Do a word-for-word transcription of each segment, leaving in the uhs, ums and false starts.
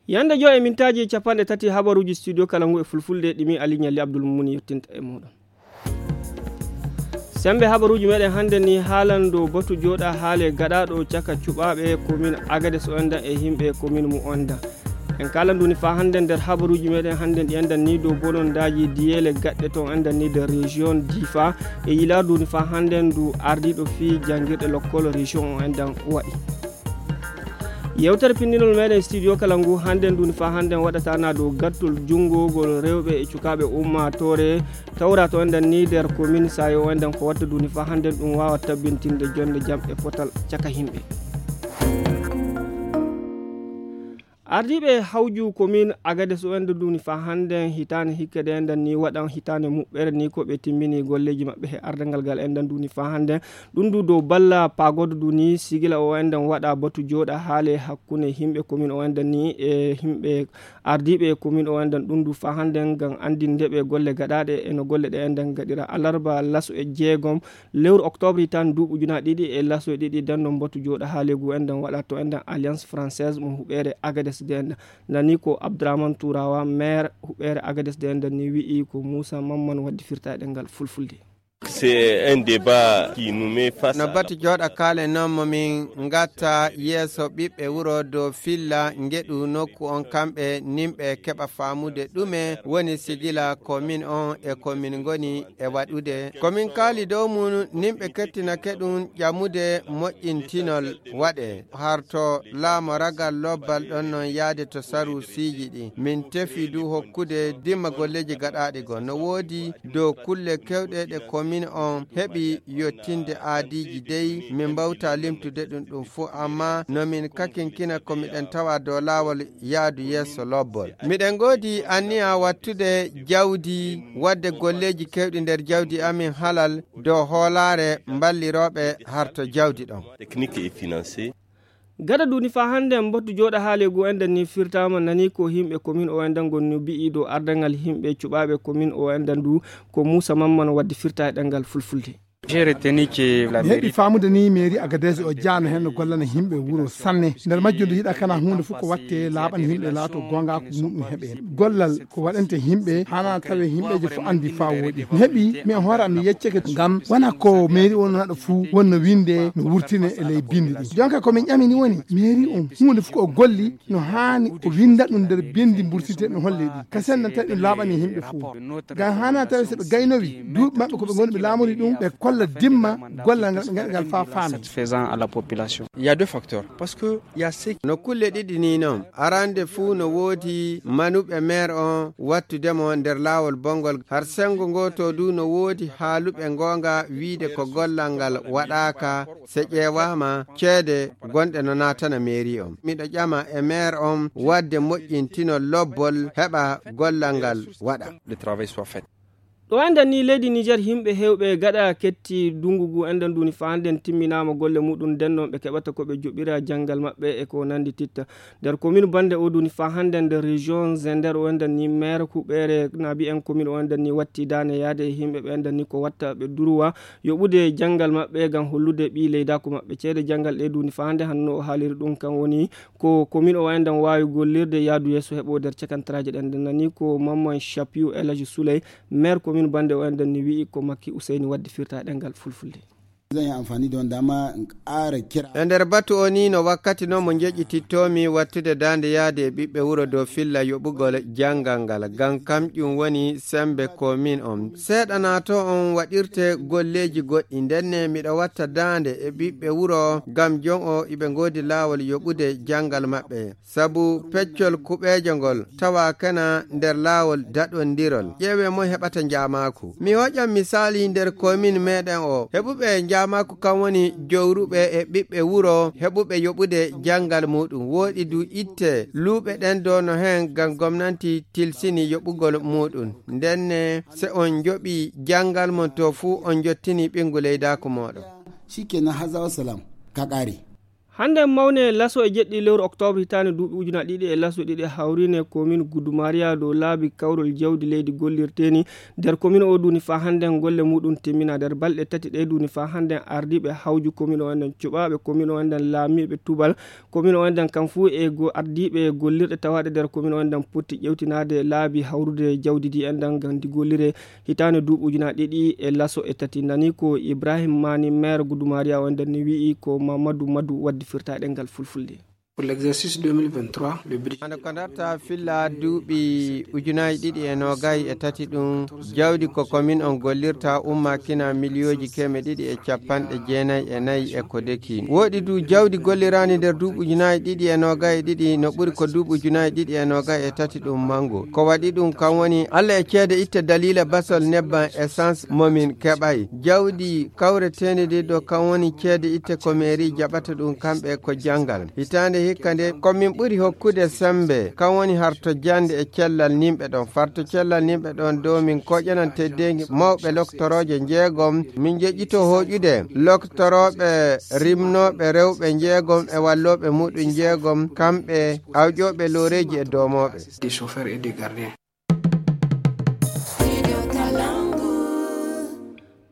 Yande joy e mintaaji capanɗe tati habaruuji studio kala ngu e fulfulde ɗimi Ali Ñalli Abdul Muni yettinta e muɗum. Sembe habaruuji meɗen hannde ni haalan dow batu jooɗa haale gaɗaaɗo caka cuɓaaɓe komin Agades o endan e himɓe komin mu ondan. En kaalan duni faa hannde nder habaruuji meɗen hannde ɗi endan ni dow bonondaaji diyeele gaɗɗe ton endan ni nder région Difa e yilaar duni faa hannde ndu ardiiɗo fii janngirɗe lokkol région o endan waɗi. Yewtere pinndinol meɗen studio kala ngu hannde ndu ni faa hannde waɗata na dow gattol junngogol rewɓe e cukaaɓe ummaatoore tawra to enɗen ni nder komin sayo enɗen ko watta duni faa hannde ɗum waawa tabbintinde jonnde jam e potal caka yimɓe. Ardiiɓe hawju komin Agades o enɗen duni faa hannde hitaande hikkede enɗen ni waɗan hitaande muɓɓere ni ko ɓe timmini golleeji maɓɓe he ardangal ngal enɗen duni faa hannde. Ɗum du dow balla pagodo du ni sigila o enɗen waɗa batu jooɗa haale hakkunde yimɓe komin o enɗen ni e yimɓe ardiiɓe komin o enɗen ɗum du faa hannde ngam anndinde ɓe golle gaɗaaɗe e no golle ɗe enɗen gaɗira alarba laso e jeegom lewru octobre tan duuɓi ujuna ɗiɗi e laso e ɗiɗi denno batu jooɗa haale gu enɗen waɗa to enɗen alliance française mo huɓeere Agades de enɗen nani ko Abdourahmane Tourawa maire huɓeere Agades de enɗen ni wi'i ko Moussa Mamman waddi firta e ɗemngal fulfulde. C'est un débat qui nous met face no à batu jooɗa kaale noon mo min ngatta yeeso ɓiɓɓe wuro dow filla ngeɗu nokku on kamɓe nimɓe keɓa faamude ɗume woni sigila ko min on e ko min ngoni e waɗude ko min kaali dow mum nimɓe kettinake ɗum ƴamude moƴƴintinol waɗe harto laamo ragal lobbal ɗon noon yaade to saruusiiji ɗi min tefi du hokkude dimma golleeji gaɗaaɗi go no woodi dow kulle kewɗe ɗe komin on heɓi yottinde aadiiji dey min mbawta limtude ɗum ɗum fuu amma no min kakinkina ko miɗen tawa dow laawol yaadu yeeso lobbol miɗen ngoodi anniya wattude jawdi waɗde golleeji kewɗi nder jawdi amin halal dow hoolaare mballirooɓe harto jawdi ɗon. Technique et financier. Gada duni faa hannde mbattu jooɗa haale gu enɗen ni firtaama nani ko yimɓe komin o enɗen gonnu bi'i dow ardangal yimɓe cuɓaaɓe komin o enɗen du ko Moussa Mamman waddi firta e ɗemngal fulfulde. Mi heɓi faamude ni mairie Agadez o jaano heen no gollana yimɓe wuro sanne nder majjum nde yiɗa kana huunde fof ko watte laaɓan yimɓe laato goonga ko muɗum heɓe gollal ko waɗante yimɓe hana tawe yimɓeje fof andi faa wooɗi mi heɓi mi e hoore am mi yecceke ngam wona ko mairie o naɗo fuu wonno winde no wurtine e ley bindi ɗi jonka ko min ƴami ni woni mairie on huunde fof ko golli no haani o winda ɗum nder bindi mbursite no holle ɗi ka senna tawi ɗum laaɓani yimɓe fof ngam hana tawi so ɓe gaynowi duuɓi maɓɓe ko ɓe ngoni ɓe laamori ɗum ɓe kolla dimma gollal ngal ɓe ngaɗa ngal faa faami. Satisfaisant à la population. Il y a deux facteurs parce que il y a ceux qui no kulle ɗiɗi ni noon arande fuu no woodi manuɓe maire on wattudemo nder laawol bonngol har senngo ngoo to du no woodi haaluɓe ngoonga wiide ko gollal ngal waɗaaka so ƴeewaama ceede gonɗe no naatana mairie on miɗo ƴama e maire on waɗde moƴƴintinol lobbol heɓa gollal ngal waɗa. Ɗo enɗen ni leydi Niger yimɓe heewɓe gaɗa ketti dungu ngu enɗen duni faa hannden timminaama golle muɗum nden noon ɓe keɓata ko ɓe joɓira janngal maɓɓe e ko nanndi titta nder komin bannde o duni faa hannden nder région Zender o enɗen ni maire huɓeere naabi en komin o enɗen ni watti daane yaade e yimɓe ɓe enɗen ni ko watta ɓe duruwa yoɓude janngal maɓɓe ngam hollude ɓii leydaaku maɓɓe ceede janngal ɗe duni faa hannde hanno o haaliri ɗum kan woni ko komin o enɗen waawi gollirde yaadu yeeso heɓo nder cakantaraaji ɗen nden nani ko Mamman Chapiu Elhaji Souley maire komin bannde o enɗen ni wi'i ko Makki Useyni waddi firta e ɗemngal fulfulde. E nder batu o ni no wakkati no mo njeƴƴitittoomi wattude daande yaade e ɓiɓɓe wuro dow filla yoɓugol janngal ngal ngam kamƴum woni semmbe komin on seeɗa na to on waɗirte golleeji goɗɗi ndenne miɗo watta daande e ɓiɓɓe wuro ngam jon o iɓe ngoodi laawol yoɓude janngal maɓɓe sabu peccol kuɓeejo ngol tawaakana nder laawol daɗondirol ƴeewee moy heɓata njaamaaku mi hoƴan misaali nder komin meɗen o heɓuɓe njaamaaku kam woni jowruɓe e ɓiɓɓe wuro heɓuɓe yoɓude janngal muɗum wooɗi du itte luuɓe ɗen dono heen ngam gomnanti tilsini yoɓugol muɗum ndenne se on njoɓi janngal mon to fuu on njottini ɓinngu leydaaku mooɗon. Shikenan haza wassalam ka ƙare. Hannde mawne laso e jeɗɗi lewru oktoobre hitaande duuɓi ujunaaji ɗiɗi e laso ɗiɗi hawriine komin Gudumariya dow laabi kawrol jawdi leydi gollirteeni. Nder komin o duuni faa hannde golle muɗum timmina. Nder balɗe tati ɗe duuni faa hannde ardiiɓe hawju komin o enden cuɓaaɓe komin o enden laamiiɓe tubal komin o enden kam fuu e go-, ardiiɓe gollirɗe tawaaɗe nder komin o enden potti ƴewtinaade laabi hawrude jawdi ndi enden ngam ndi gollire hitaande duuɓi ujunaaji ɗiɗi e laso e tati. Nani ko Ibrahim Mani, maire Gudumariya o enden ni wi'i ko Mamadou Madou waddi firtaaɗe ngal fulfulde. Pour l'exercice deux mille vingt-trois, le budget hande ko darta filla duuɓi ujunaaji ɗiɗi e noogay e tati ɗum, jawdi ko komin on gollirta umma kina miliyooji keme ɗiɗi e capanɗe jeenayi e nayi e ko deki. Woɗi du jawdi golliraani nder duuɓi ujunaaji ɗiɗi e noogay e ɗiɗi no ɓuri ko duuɓi ujunaaji ɗiɗi e noogay e tati ɗum mango. Ko waɗi ɗum kan woni Alla e ceede itte daliila basol nebban essence momin keɓay. Jawdi kawreteeni ndi ɗo kan woni ceede itte ko mairie jaɓata ɗum kamɓe ko janngal. Hitaande hikka nde ko min ɓuri hokkude sembe, kan woni harto jannde e cellal nimɓe ɗon. Farto cellal nimɓe ɗon dow min koƴanan teddeengi mawɓe loktorooje njeegom. Min joƴƴito hooƴude loktorooɓe rimnooɓe rewɓe njeegom e wallooɓe muɗum njeegom, kamɓe awƴooɓe looreeji e doomooɓe. Des chauffeurs et des gardiens.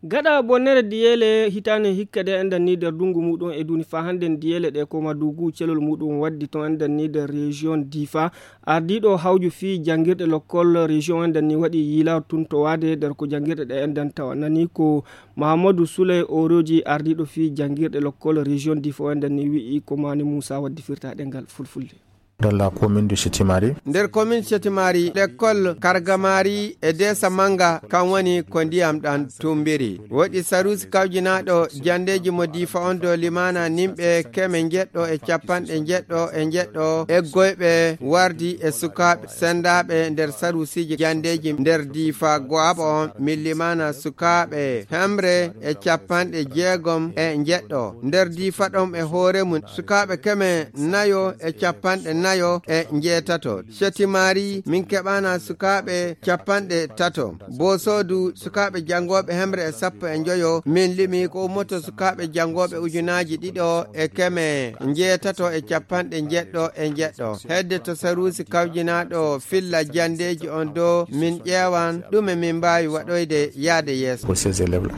Gaɗa bonnere diyeele hitaande hikka de enɗan ni nder ndungu muɗum e duuni faa hannden diyeele ɗe ko Madugu celol muɗum waddi ton enɗan ni nder région Difa. Ardiiɗo hawju fii janngirɗe lokkol région enɗan ni waɗi yiilaar tun to waade nder ko janngirɗe ɗe enɗan tawa. Nani ko Mahamadou Souley Oroji, ardiiɗo fii janngirɗe lokkol région Difa o enɗan ni wi'i ko Mani Moussa waddi firtaaɗe ngal fulfulde. Dans la commune de Chetimari. Nder commune Chetimari, lekkol Kargamari e Desa Manga, kan woni ko ndiyam ɗan tumbiri. Woɗi Sarusi kawjinaaɗo janndeeji mo Difa on dow limaana nimɓe keme njeɗɗo e capanɗe njeɗɗo e njeɗɗo eggoyɓe wardi e sukaaɓe sendaaɓe nder Sarusiiji janndeeji nder Difa go'aɓo on min limaana sukaaɓe hemre e capanɗe jeegom e njeɗɗo. Nder Difa ɗon e hoore mum sukaaɓe keme nayo e capanɗe nayo e njeetato. Chetimari, min keɓana sukaaɓe capanɗe tato. Bosodu, sukaaɓe janngooɓe hemre e sappo e njoyo. Min limi ko ummoto sukaaɓe janngooɓe ujunaaji ɗiɗo e keme njeetato e capanɗe njeɗɗo e njeɗɗo. Hedde to Sarusi kawjinaaɗo filla janndeeji on dow, min ƴeewan ɗume min mbaawi waɗoyde yaade yeeso. Pour ces élèves-là.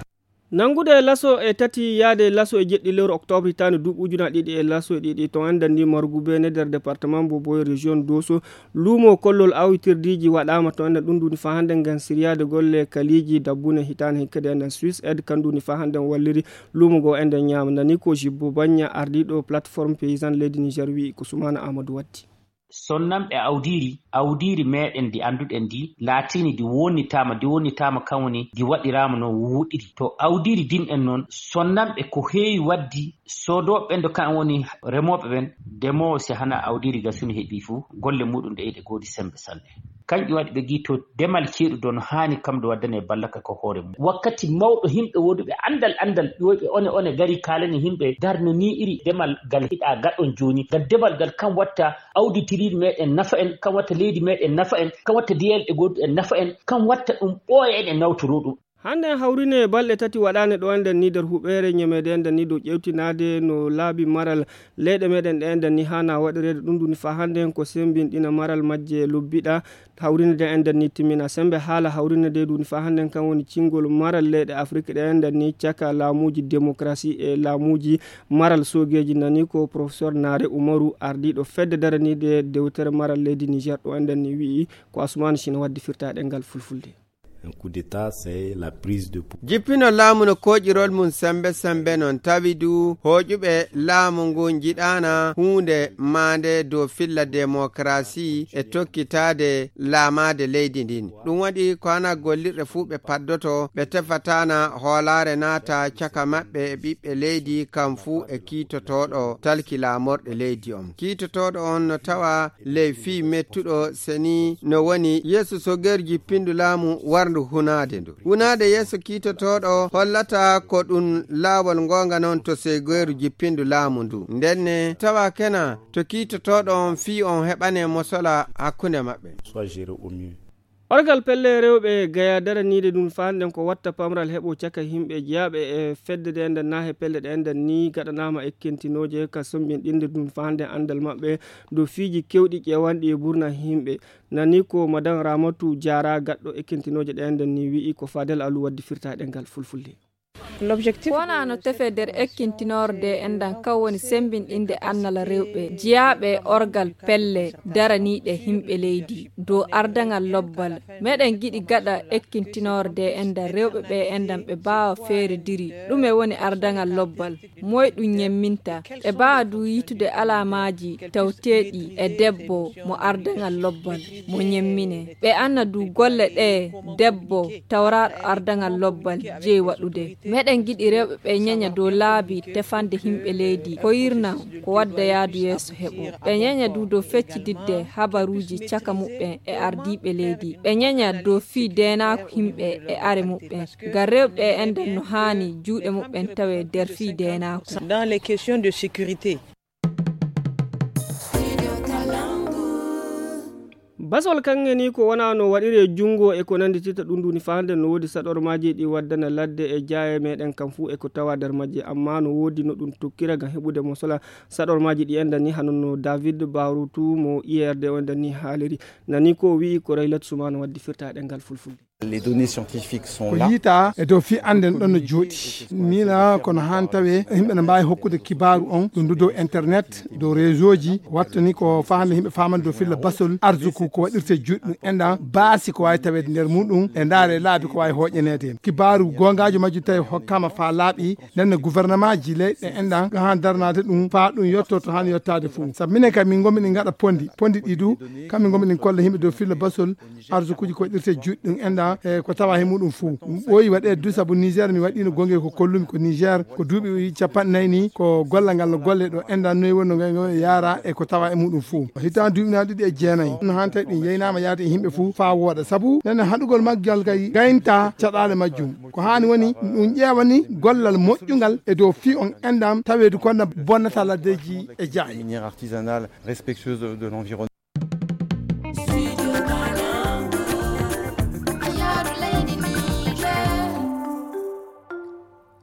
Nanngude laso e tati yaade laso e jeɗɗi lewru oktoobre hitaande duuɓi ujunaaji ɗiɗi e laso e ɗiɗi, to enɗan ni Margu Beene nder département Boboyo région Doso, luumo kollol awitirdiiji waɗaama to enɗan ɗum duuni faa hannden ngam siryaade golle kaliiji dabbune hitaande hikka de enɗan Swiss Aid kan duuni faa hannden walliri luumo ngo enɗan ñaama. Nani ko Jibbo Bagna, ardiiɗo plateforme paysanne leydi Niger wi'i ko Sumaana Amadou waddi. Sonnanɓe awdiiri, awdiiri meeɗen ndi annduɗen ndi, laatiini ndi wonnitaama, ndi wonnitaama kan woni ndi waɗiraama no wuɗiri. To awdiiri din en noon, sonnanɓe ko heewi waddi, soodooɓe ɓen ɗo kan woni remooɓe ɓen, demoowo si hana awdiiri gasuni heɓii fuu, golle muuɗum ɗe ɗe goodi sembe sanne. Kanƴum waɗi ɓe ngi to demal ceeɗu ɗo no haani kam ɗo waddane ballal ka ko hoore mum. Wakkati mawɗo himɓe wooduɓe anndal, anndal ƴooyɓe one, one gari kaalani himɓe darno ni iri demal gal hiɗa gaɗon jooni. Ngal demal gal kam watta awdi tiriiɗi meɗen nafa en, kam watta leydi meɗen nafa en, kam watta diyalɗe goɗɗe en nafa en, kam watta ɗum ɓooya en e nawtoro ɗum. Hannden hawrine balɗe tati waɗaane ɗo enɗen ni nder huɓeere ñameede enɗen ni dow ƴewtinaade no laabi maral leyɗe meɗen ɗe enɗen ni haana waɗireede ɗum ɗum ni faa hannden ko semmbinɗina maral majje lobbiɗa. Hawrine de enɗen ni timmina semmbe haala hawrine de ɗum ni faa hannden kan woni cinngol maral leyɗe Afrik ɗe enɗen ni caka laamuuji demokarasi e laamuuji maral soogeeji. Nani ko professeur Naare Umaru, ardiiɗo fedde daraniiɗe dewtere maral leydi Niger ɗo enɗen ni wi'i ko Asumaani Sina waddi firtaaɗe ngal fulfulde. Un coup d'État, c'est la prise de pouvoir. Jippino laamu no kooƴirol mum semmbe semmbe noon tawi du hooƴuɓe laamu ngu njiɗaana huunde maande dow filla demokarasi e tokkitaade laamaade leydi ndin. Ɗum waɗi ko hana gollirɗe fuu ɓe paddoto, ɓe tefataana hoolaare naata caka maɓɓe e ɓiɓɓe leydi kam fuu e kiitotooɗo talki laamorɗe leydi on. Kiitotooɗo on no tawa ley fii mettuɗo seni no woni yeeso sogeeru jippindu laamu warndu hunaade ndu. Hunaade yeeso kiitotooɗo hollata ko ɗum laawol ngoonga noon to sogeeru jippindu laamu ndu. Ndenne tawa kena to kiitotooɗo on fii on heɓane mosola hakkunde maɓɓe. Soit géré au mieux. Orgal pelle rewɓe Gaya daraniiɗe ɗum faanden ko watta pamral heɓo caka yimɓe jeyaaɓe e fedde ɗe enɗan naa he pelle ɗe enɗan ni gaɗanaama ekkintinooje ka sombinɗinde ɗum faanden anndal maɓɓe dow fiiji kewɗi ƴeewanɗi e burna yimɓe. Nani ko Madan Ramatu Jaara gaɗɗo ekkintinooje ɗe enɗan ni wi'i ko Fadel Alu waddi firta e ɗemngal Fulfulde. Ko wonaa no tefe nder ekkintinorde enɗan kan woni sembinɗinde annala rewɓe jiyaaɓe orgal pelle daraniiɗe yimɓe leydi dow ardaŋal lobbal. Meɗen giɗi gaɗa ekkintinorde enɗan rewɓe ɓe enɗan ɓe baawa feerediri ɗume woni ardaŋal lobbal, moy ɗum ñemminta. Ɓe baawa du yiitude alaamaaji tawteeɗi e debbo mo ardaŋal lobbal mo ñemmine. Ɓe anna du golle ɗe debbo tawraaɗo ardaŋal lobbal jeyi waɗude. Meɗen giɗi rewɓe ɓe ñeña dow laabi tefande yimɓe leydi ko yirna ko wadda yaadu yeeso heɓo. Ɓe ñeña du dow feccididde habaruuji caka muɓɓen e ardiiɓe leydi. Ɓe ñeña dow fii deenaaku yimɓe e are muɓɓen. Ngam rewɓe e enɗan no haani juuɗe muɓɓen tawe nder fii deenaaku. Dans les questions de sécurité. Basol kaŋŋe ni ko wona no waɗire junngo e ko nannditita ɗum nduni fahande no woodi saɗormaaji ɗi waddana ladde e jaaye meɗen kam fuu e ko tawa nder majje, amma no woodi no ɗum tokkira ngam heɓude mo sola saɗormaaji ɗi enɗan ni hano no David Barutu mo I R D o enɗan ni haaliri. Nani ko wi'i ko Raylat Sumano waddi firta e ɗemngal Fulfulde. Les données scientifiques sont ko là. Yiita e dow fii annden ɗon no jooɗi miila kono haan tawe yimɓe no mbaawi hokkude kibaaru on ɗum du dow internet dow réseau ji wattani ko faami yimɓe faamande dow filla basol arsuku ko waɗirte juuɗe ɗum enɗan baasi ko waawi taweede nder muɗum e ndaare laabi ko waawi hooƴaneede heen kibaaru goongaajo majjum tawi hokkaama faa laaɓi nenne gouvernement ji leyɗe enɗan haan darnaade ɗum faa ɗum yotto to haan yottaade fof sabu minen kam min ngomi ɗin ngaɗa pondi pondi ɗi du kamɓe ngomi ɗin kolla yimɓe dow filla basol arsukuuji ko waɗirte juuɗe ɗum enɗan e ko tawa he muɗum fuu. Ɗum ɓooyi waɗeede du sabu Niger mi waɗiino gonge ko kollumi ko Niger ko duuɓi capanɗe nayi ni ko gollal ngal no golle ɗo enɗan noyi wonno ngal ngal yaara e ko tawa e muɗum fuu. Hitaan duuɓi na ɗiɗi e jeenayi no haan tawi ɗum yeynaama yaade e yimɓe fuu faa wooɗa sabu nene haɗugol maggal kay gaynta caɗaale majjum. Ko haani woni ɗum ƴeewani gollal moƴƴungal e dow fii on enɗan taweedu ko na bonnata laddeeji e jaayi. Minière artisanale respectueuse de l'environnement.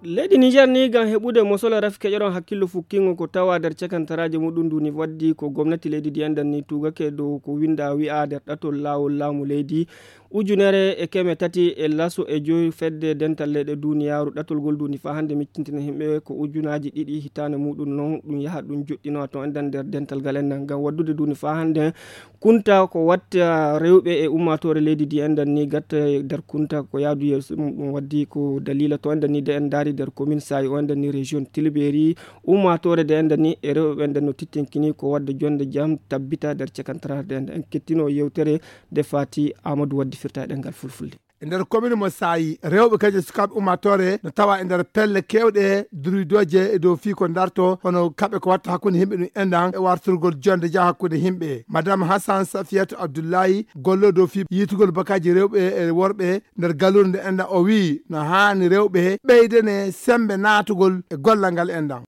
Leydi Niger ni ngam heɓude mosola rafi keƴoron hakkillo fukkingo ko tawa nder cakantaraaji muɗum nduni waddi ko gomnati leydi ndi enɗan ni tugake dow ko winda wi'a nder ɗatol laawol laamu leydi ujunere e keme tati e laso e joyi fedde dental leyɗe duniyaaru ɗatol ngol nduni faa hannde miccintina yimɓe ko ujunaaji ɗiɗi hitaande muɗum non ɗum yaha ɗum joɗɗinowa to enɗan nder dental ngal enɗan ngam waddude nduni faa hannde kunta ko watta rewɓe e ummaatoore leydi ndi enɗan ni gatta nder kunta ko yaadu yeeso mum ɗum waddi ko dalila to enɗan ni de en ndaari nder commune sayi o enɗan ni région tilberi ummaatoore de enɗan ni e rewɓe ɓe enɗan no tittinkini ko wadda jonde jam tabbita nder cekantaraare de enɗan en kettino yewtere de fati amadou waddi firta e ɗemngal fulfulde. E nder commune mo saayi rewɓe kadi e sukaaɓe ummaatoore no tawa e nder pelle keewɗe durwidooje e dow fii ko darto hono kaɓe ko watta hakkunde yimɓe ɗum enɗan e wartirgol jonde jam hakkunde yimɓe madame hassan safiyatu abdoullahi gollo dow fii yiitugol bakaji rewɓe e worɓe nder galluure nde enɗan o wii no haani rewɓe ɓeydene sembe naatugol e gollal ngal enɗan.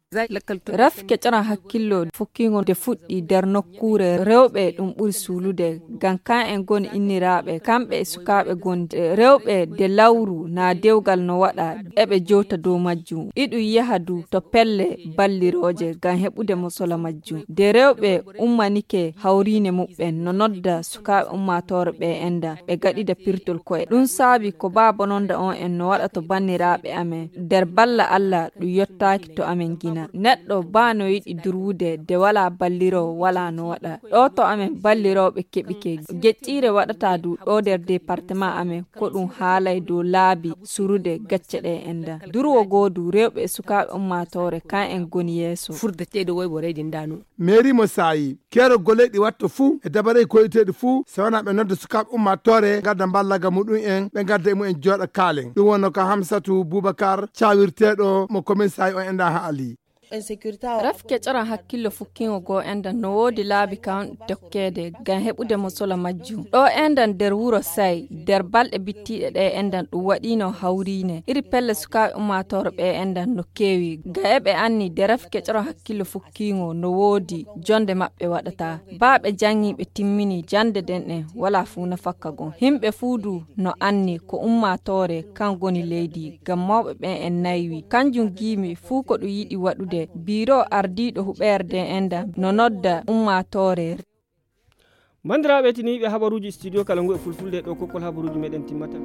Raf keƴoran hakkillo fukkigo nde fuɗɗi nder nokkuure rewɓe ɗum ɓuri suulude ngam kan en goni inniraaɓe kamɓe e sukaaɓe gonde rewɓe de lawru na dewgal no waɗa eɓe jowta dow majjum iɗum yaha du to pelle ballirooje ngam heɓude mosola majjum de rewɓe ummanike hawriine muɓɓen no nodda sukaaɓe ummaatoore ɓe enda ɓe gaɗida pirtol koye ɗum saabi ko baa bononda on en no waɗa to banniraaɓe amen nder balla allah ɗum yottaaki to amen gina neɗɗo baa no yiɗi durwude de walaa balliroowo walaa no waɗa ɗo to amen ballirooɓe keɓike geƴƴiire waɗata du ɗo nder département amen ko ɗum haalay dow laabi surude gacce ɗe enda durwo goo du rewɓe e sukaaɓe ummaatoore kan en goni yeeso furdeteeɗo woy mo reydindaano. Mairie mo saayi keerol golleeji ɗi watta fuu e dabareeji koyiteeɗi fuu so wonaa ɓe nodda sukaaɓe ummaatoore ngadda mballaga muɗum en ɓe ngadda e mumen jooɗa kaalen ɗum wonno ko hamsatu boubacar cawirteeɗo mo commune saayi on enda haali. Ref kecoran hakkillo fukkiŋo goo enɗan no woodi laabi kan tokkeede ngam heɓude mosola majjum ɗoo enɗan nder wuro Say. Nder balɗe bittiiɗe ɗee enɗan ɗum waɗiino hawriine iri pelle sukaaɓe ummaatoore ɓee enɗan no keewi ngam eɓe anni nde ref kecoran hakkillo fukkiiŋo no woodi jonde maɓɓe waɗataa. Baa ɓe jaŋŋi ɓe timmini jannde nden ɗen walaa fuu nafakka gon. Himɓe fuu du no anni ko ummaatoore kan goni leydi ngam mawɓe ɓen en naywi kanjum giimi fuu ko ɗum yiɗi waɗude. Biiro ardiiɗo huɓeerde enɗan no nodda ummaatoore. Banndiraaɓe tiniiɓe habaruuji studio kala ngu e fulfulde ɗo kokkol habaruuji meɗen timmata.